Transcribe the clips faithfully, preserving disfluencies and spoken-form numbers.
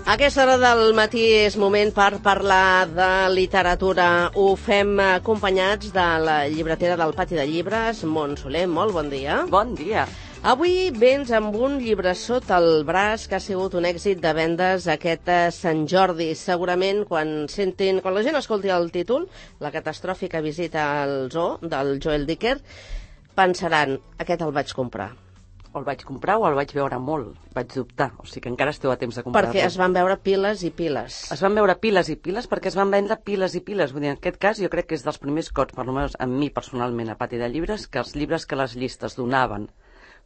A aquesta hora del matí és moment per parlar de literatura. Ho fem acompanyats de la llibretera del Pati de Llibres, Mont Soler. Molt bon dia. Bon dia. Avui vens amb un llibre sota el braç que ha sigut un èxit de vendes aquest Sant Jordi. Segurament quan sentin, quan la gent escolti el títol, La catastròfica visita al zoo, del Joel Dicker, pensaran, aquest el vaig comprar. O el vaig comprar o el vaig veure molt. Vaig dubtar, o sigui que encara esteu a temps de comprar-lo. Perquè es van veure piles i piles. Es van veure piles i piles perquè es van vendre piles i piles. Vull dir, en aquest cas jo crec que és dels primers cops, per almenys a mi personalment, a Pati de Llibres, que els llibres que les llistes donaven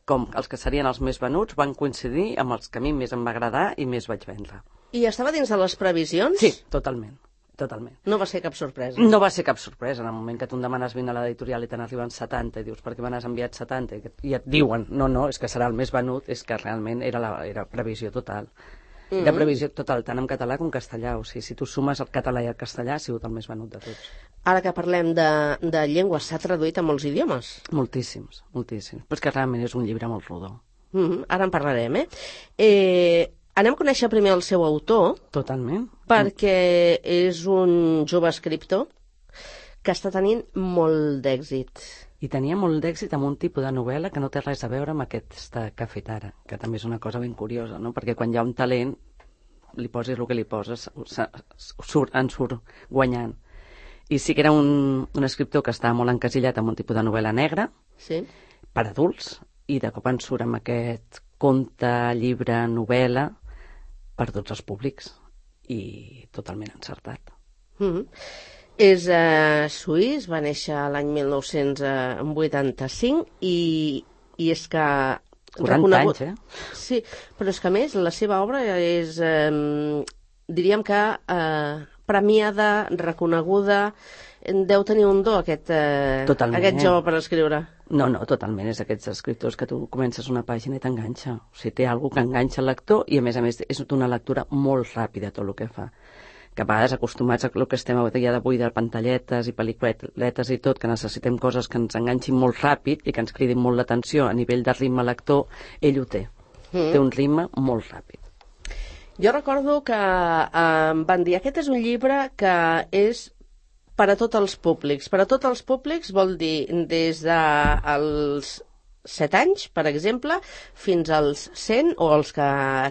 com els que serien els més venuts van coincidir amb els que a mi més em va agradar i més vaig vendre. I estava dins de les previsions? Sí, totalment. Totalment. No va ser cap sorpresa. No va ser cap sorpresa. En el moment que tu em demanes vine a l'editorial i te n'arriben setanta i dius per què me n'has enviat setanta i et diuen no, no, és que serà el més venut, és que realment era, la, era previsió total. Mm -hmm. De previsió total, tant en català com en castellà. O sigui, si tu sumes el català i el castellà ha sigut el més venut de tots. Ara que parlem de, de llengües, s'ha traduït a molts idiomes? Moltíssims, moltíssims. Però és que realment és un llibre molt rodó. Mm -hmm. Ara en parlarem, eh? eh... Anem a conèixer primer el seu autor. Totalment. Perquè és un jove escriptor que està tenint molt d'èxit. I tenia molt d'èxit amb un tipus de novel·la que no té res a veure amb aquesta que ha fet ara, que també és una cosa ben curiosa, no? Perquè quan hi ha un talent, li posis el que li poses, surt, en surt guanyant. I sí que era un, un escriptor que estava molt encasillat amb un tipus de novel·la negra, sí, per adults, i de cop en surt amb aquest conte, llibre, novel·la, per tots els públics, i totalment encertat. Mm-hmm. És uh, suís, va néixer l'any mil nou-cents vuitanta-cinc i, i és que... quaranta reconegut... anys, eh? Sí, però és que a més la seva obra és, eh, diríem que eh, premiada, reconeguda, deu tenir un do aquest, eh, aquest jove per escriure. No, no, totalment. És d'aquests escriptors que tu comences una pàgina i t'enganxa. O sigui, té alguna que enganxa el lector i, a més a més, és una lectura molt ràpida tot el que fa. Que a vegades, acostumats a el que estem a dia d'avui de pantalletes i pel·lículetes i tot, que necessitem coses que ens enganxin molt ràpid i que ens cridin molt l'atenció a nivell de ritme lector, ell ho té. Mm. Té un ritme molt ràpid. Jo recordo que eh, em van dir, aquest és un llibre que és per a tots els públics. Per a tots els públics vol dir des dels set anys, per exemple, fins als cent o els que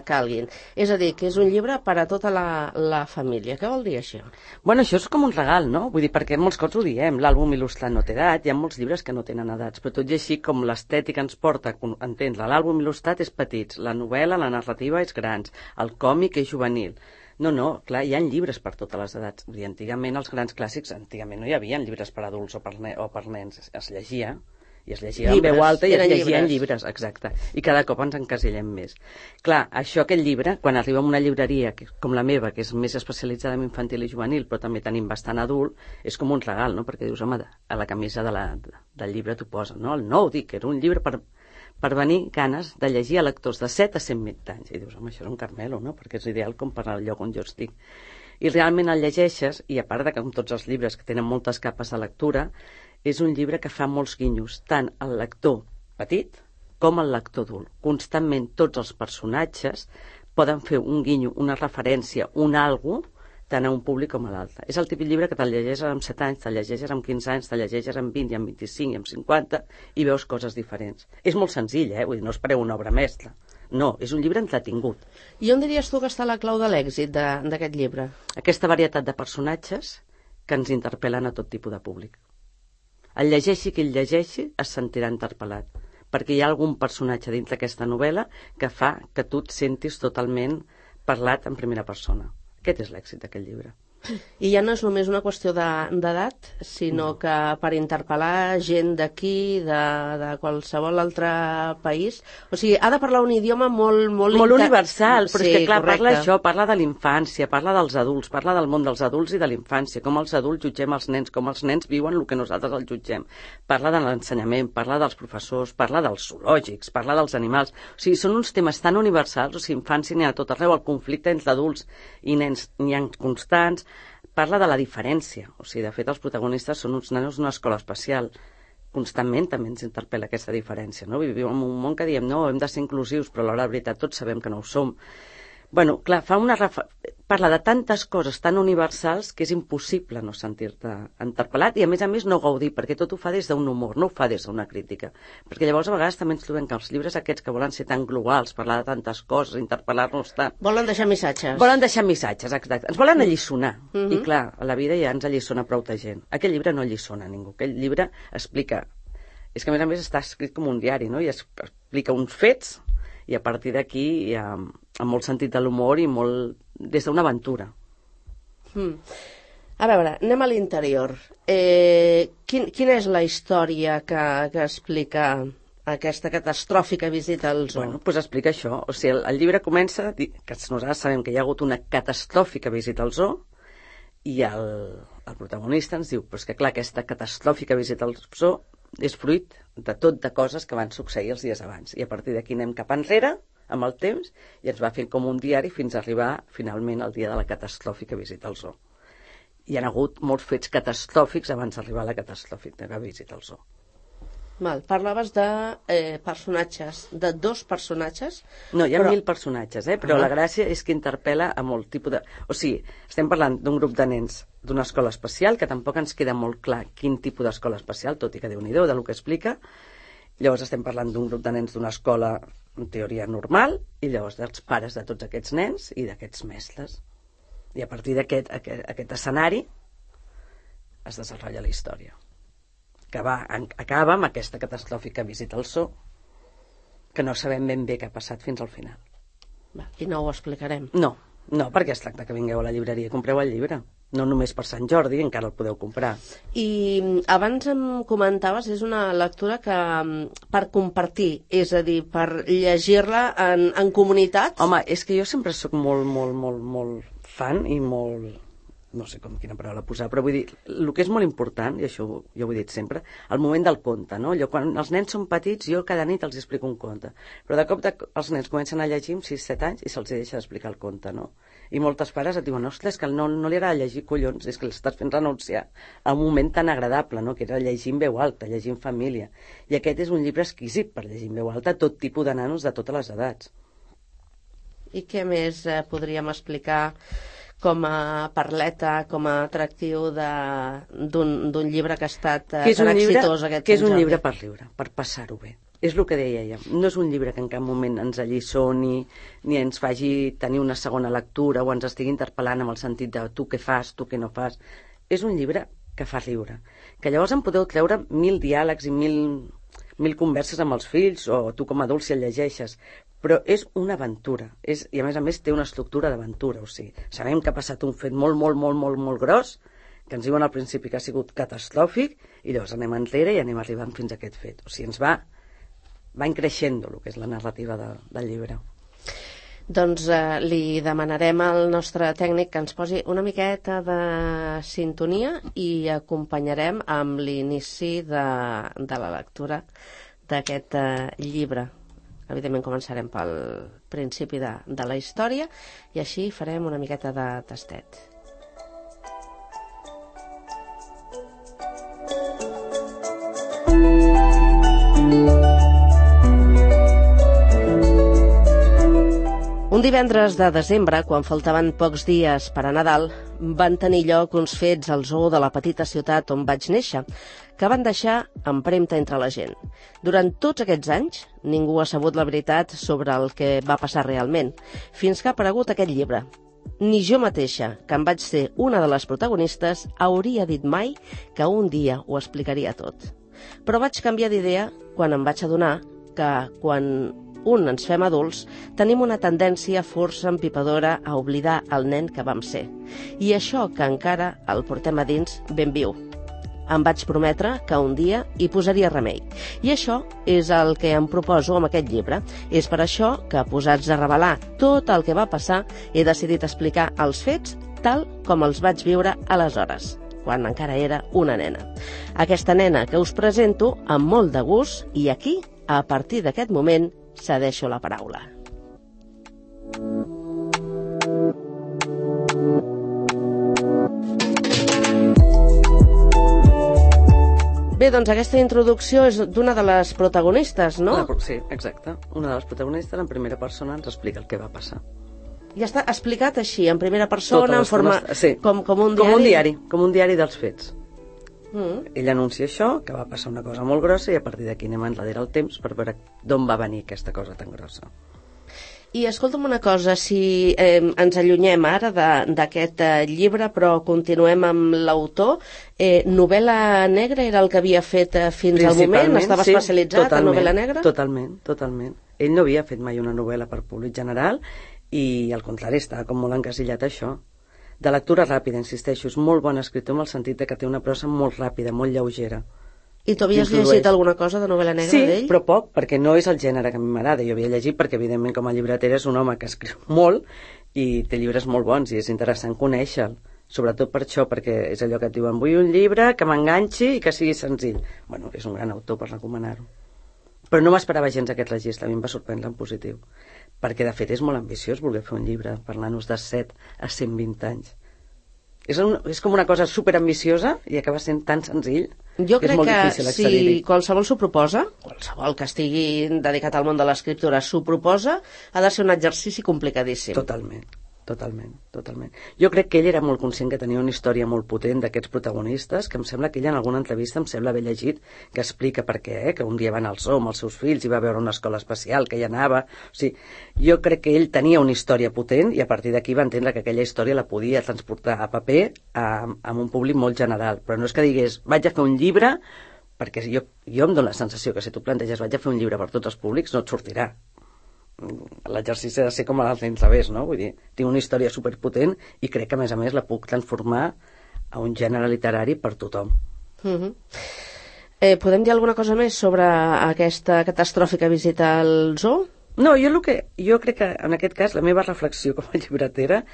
calguin. És a dir, que és un llibre per a tota la, la família. Què vol dir això? Bueno, això és com un regal, no? Vull dir, perquè molts cops ho diem, l'àlbum il·lustrat no té edat, hi ha molts llibres que no tenen edats, però tot i així, com l'estètica ens porta a entendre, l'àlbum il·lustrat és petits, la novel·la, la narrativa és grans, el còmic és juvenil. No, no, clar, hi ha llibres per totes les edats. Vull dir, antigament els grans clàssics, antigament no hi havia llibres per adults o per, ne o per nens, es, es llegia, i es llegia en veu alta i es llegien llibres. llibres, exacte, i cada cop ens encasillem més. Clar, això, aquest llibre, quan arriba a una llibreria que, com la meva, que és més especialitzada en infantil i juvenil, però també tenim bastant adult, és com un regal, no? Perquè dius, home, a la camisa de la, del llibre t'ho posen, no? El nou, dic, era un llibre per... per venir ganes de llegir a lectors de set a cent vint anys. I dius, home, això és un Carmelo, no? Perquè és ideal com per al lloc on jo estic. I realment el llegeixes, i a part de que com tots els llibres que tenen moltes capes de lectura, és un llibre que fa molts guinyos, tant al lector petit com al lector adult. Constantment tots els personatges poden fer un guinyo, una referència, un algo, tant a un públic com a l'altre. És el típic llibre que te'l llegeixes amb set anys, te'l llegeixes amb quinze anys, te'l llegeixes amb vint i amb vint-i-cinc i amb cinquanta i veus coses diferents. És molt senzill, eh? Vull dir, no espereu una obra mestra. No, és un llibre entretingut. I on diries tu que està la clau de l'èxit d'aquest llibre? Aquesta varietat de personatges que ens interpel·len a tot tipus de públic. El llegeixi qui el llegeixi es sentirà interpel·lat, perquè hi ha algun personatge dins d'aquesta novel·la que fa que tu et sentis totalment parlat en primera persona. Aquest és l'èxit d'aquest llibre. I ja no és només una qüestió d'edat, sinó no. que per interpel·lar gent d'aquí, de, de qualsevol altre país, o sigui, ha de parlar un idioma molt... Molt, molt universal, però sí, és que clar, correcte. Parla això, parla de l'infància, parla dels adults, parla del món dels adults i de l'infància, com els adults jutgem els nens, com els nens viuen el que nosaltres els jutgem. Parla de l'ensenyament, parla dels professors, parla dels zoològics, parla dels animals. O sigui, són uns temes tan universals, o sigui, infància n'hi ha a tot arreu, el conflicte entre adults i nens n'hi ha constants. Parla de la diferència, o sigui, de fet els protagonistes són uns nanos d'una escola especial. Constantment també ens interpel·la aquesta diferència, no? Vivim en un món que diem, no, hem de ser inclusius, però a l'hora de veritat tots sabem que no ho som. Bueno, clar, fa una refa... parla de tantes coses tan universals que és impossible no sentir-te interpel·lat i, a més a més, no gaudir, perquè tot ho fa des d'un humor, no ho fa des d'una crítica. Perquè llavors, a vegades, també ens trobem que els llibres aquests que volen ser tan globals, parlar de tantes coses, interpel·lar-nos tant... Volen deixar missatges. Volen deixar missatges, exacte. Ens volen alliçonar. Mm -hmm. I, clar, a la vida ja ens allissona prou de gent. Aquell llibre no alliçona a ningú. Aquell llibre explica... És que, a més a més, està escrit com un diari, no? I explica uns fets i, a partir d'aquí, hi ha... amb molt sentit de l'humor i molt des d'una aventura. Mm. A veure, anem a l'interior. Eh, quin, quina és la història que, que explica aquesta catastròfica visita al zoo? Bueno, doncs explica això. O sigui, el, el llibre comença, que nosaltres sabem que hi ha hagut una catastròfica visita al zoo i el, el protagonista ens diu, però és que clar, aquesta catastròfica visita al zoo és fruit de tot de coses que van succeir els dies abans. I a partir d'aquí anem cap enrere amb el temps i ens va fent com un diari fins a arribar finalment al dia de la catastròfica visita al zoo. Hi ha hagut molts fets catastròfics abans d'arribar a la catastròfica visita al zoo. Val, parlaves de eh, personatges, de dos personatges. No, hi ha però... mil personatges, eh? Però ah. la gràcia és que interpel·la a molt tipus de... O sigui, estem parlant d'un grup de nens d'una escola especial, que tampoc ens queda molt clar quin tipus d'escola especial, tot i que Déu-n'hi-do del que explica. Llavors estem parlant d'un grup de nens d'una escola en teoria normal, i llavors dels pares de tots aquests nens i d'aquests mestres. I a partir d'aquest aquest, aquest escenari es desenvolupa la història. Que va, en, acaba amb aquesta catastròfica visita al zoo, que no sabem ben bé què ha passat fins al final. Va, i no ho explicarem. No, no, perquè es tracta que vingueu a la llibreria i compreu el llibre. No només per Sant Jordi, encara el podeu comprar. I abans em comentaves, és una lectura que per compartir, és a dir, per llegir-la en, en comunitat? Home, és que jo sempre sóc molt, molt, molt, molt fan i molt... no sé com quina paraula posar, però vull dir, el que és molt important, i això jo ho he dit sempre, el moment del conte, no? Allò, quan els nens són petits, jo cada nit els explico un conte, però de cop de, els nens comencen a llegir amb sis set anys i se'ls deixa d'explicar el conte, no? I moltes pares et diuen, ostres, que no, no li agrada llegir, collons, és que l'estàs fent renunciar a un moment tan agradable, no? Que era llegir en veu alta, llegir en família. I aquest és un llibre exquisit per llegir en veu alta, tot tipus de nanos de totes les edats. I què més eh, podríem explicar com a parleta, com a atractiu d'un llibre que ha estat eh, tan exitós aquest que és un llibre per riure, per passar-ho bé. És el que deia ella. No és un llibre que en cap moment ens alliçoni, ni ens faci tenir una segona lectura o ens estigui interpel·lant amb el sentit de tu què fas, tu què no fas. És un llibre que fa riure. Que llavors en podeu treure mil diàlegs i mil, mil converses amb els fills o tu com a adult si el llegeixes. Però és una aventura, és, i a més a més té una estructura d'aventura, o sigui, sabem que ha passat un fet molt, molt, molt, molt, molt gros, que ens diuen al principi que ha sigut catastròfic, i llavors anem enrere i anem arribant fins a aquest fet. O sigui, ens va, va increixent el que és la narrativa de, del llibre. Doncs eh, li demanarem al nostre tècnic que ens posi una miqueta de sintonia i acompanyarem amb l'inici de, de la lectura d'aquest eh, llibre. Evidentment començarem pel principi de, de la història i així farem una miqueta de tastet. Un divendres de desembre, quan faltaven pocs dies per a Nadal, van tenir lloc uns fets al zoo de la petita ciutat on vaig néixer, que van deixar empremta entre la gent. Durant tots aquests anys, ningú ha sabut la veritat sobre el que va passar realment, fins que ha aparegut aquest llibre. Ni jo mateixa, que em vaig ser una de les protagonistes, hauria dit mai que un dia ho explicaria tot. Però vaig canviar d'idea quan em vaig adonar que, quan un ens fem adults, tenim una tendència força empipadora a oblidar el nen que vam ser. I això que encara el portem a dins ben viu. Em vaig prometre que un dia hi posaria remei. I això és el que em proposo amb aquest llibre. És per això que, posats a revelar tot el que va passar, he decidit explicar els fets tal com els vaig viure aleshores, quan encara era una nena. Aquesta nena que us presento amb molt de gust i aquí, a partir d'aquest moment, cedeixo la paraula. Bé, doncs aquesta introducció és d'una de les protagonistes, no? Sí, exacte. Una de les protagonistes en primera persona ens explica el que va passar. Ja està explicat així, en primera persona, en forma... Sí. Com, com un diari? Com un diari, com un diari dels fets. Mm. Ell anuncia això, que va passar una cosa molt grossa, i a partir d'aquí anem enrere el temps per veure d'on va venir aquesta cosa tan grossa. I escolta'm una cosa, si eh, ens allunyem ara d'aquest eh, llibre, però continuem amb l'autor, eh, novel·la negra era el que havia fet eh, fins al moment? Estava sí, especialitzat en novel·la negra? Totalment, totalment. Ell no havia fet mai una novel·la per públic general i, al contrari, estava com molt encasillat a això. De lectura ràpida, insisteixo, és molt bon escriptor en el sentit de que té una prosa molt ràpida, molt lleugera. I tu havies llegit alguna cosa de novel·la negra d'ell? Sí, però poc, perquè no és el gènere que a mi m'agrada. Jo havia llegit perquè, evidentment, com a llibreter és un home que escriu molt i té llibres molt bons i és interessant conèixer-lo. Sobretot per això, perquè és allò que et diuen, vull un llibre que m'enganxi i que sigui senzill. Bueno, és un gran autor per recomanar-ho. Però no m'esperava gens aquest registre, a mi em va sorprendre en positiu. Perquè, de fet, és molt ambiciós voler fer un llibre parlant-nos de set a cent vint anys. És, un, és com una cosa superambiciosa i acaba sent tan senzill. Jo crec que si qualsevol s'ho proposa, qualsevol que estigui dedicat al món de l'escriptura s'ho proposa, ha de ser un exercici complicadíssim. Totalment, totalment, totalment. Jo crec que ell era molt conscient que tenia una història molt potent d'aquests protagonistes, que em sembla que ell en alguna entrevista em sembla haver llegit que explica per què, eh? Que un dia va anar al zoo amb els seus fills i va veure una escola especial, que hi anava... O sigui, jo crec que ell tenia una història potent i a partir d'aquí va entendre que aquella història la podia transportar a paper a, a un públic molt general. Però no és que digués, vaig a fer un llibre, perquè jo, jo em dono la sensació que si tu planteges vaig a fer un llibre per tots els públics, no et sortirà. L'exercici ha de ser com a l'inrevés, no? Vull dir, tinc una història superpotent i crec que a més a més la puc transformar a un gènere literari per tothom. Mm-hmm. eh, Podem dir alguna cosa més sobre aquesta catastròfica visita al zoo? No, jo, el que, jo crec que en aquest cas la meva reflexió com a llibretera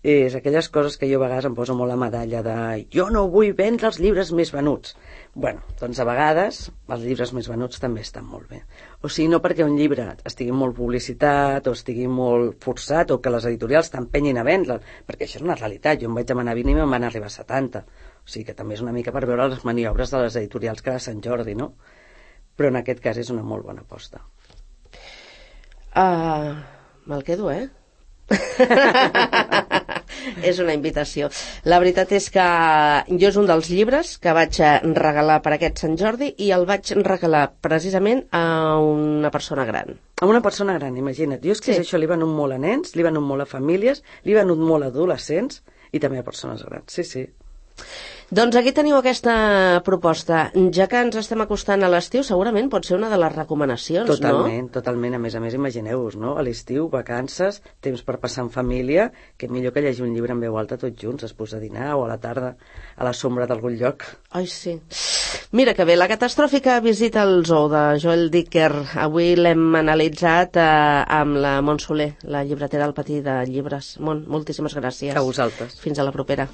és aquelles coses que jo a vegades em poso molt la medalla de jo no vull vendre els llibres més venuts. Bueno, doncs a vegades els llibres més venuts també estan molt bé. O sigui, no perquè un llibre estigui molt publicitat o estigui molt forçat o que les editorials t'empenyin a vendre'l, perquè això és una realitat. Jo em vaig demanar vint i me'n van arribar a setanta. O sigui que també és una mica per veure les maniobres de les editorials cada Sant Jordi, no? Però en aquest cas és una molt bona aposta. Uh, me'l quedo, eh? És una invitació. La veritat és que jo és un dels llibres que vaig regalar per aquest Sant Jordi i el vaig regalar precisament a una persona gran. A una persona gran, imagina't. Jo és que sí. Això li venut molt a nens, li venut molt a famílies, li venut molt a adolescents i també a persones grans. Sí, sí. Doncs aquí teniu aquesta proposta. Ja que ens estem acostant a l'estiu, segurament pot ser una de les recomanacions, totalment, no? Totalment, a més a més, imagineu-vos, no? A l'estiu, vacances, temps per passar en família, que millor que llegir un llibre en veu alta tots junts, es posa a dinar o a la tarda a la sombra d'algun lloc. Ai, sí. Mira que bé, la catastròfica visita al zoo de Joel Dicker. Avui l'hem analitzat eh, amb la Mont Soler, la llibretera del Patí de Llibres. Mont, moltíssimes gràcies. A vosaltres. Fins a la propera.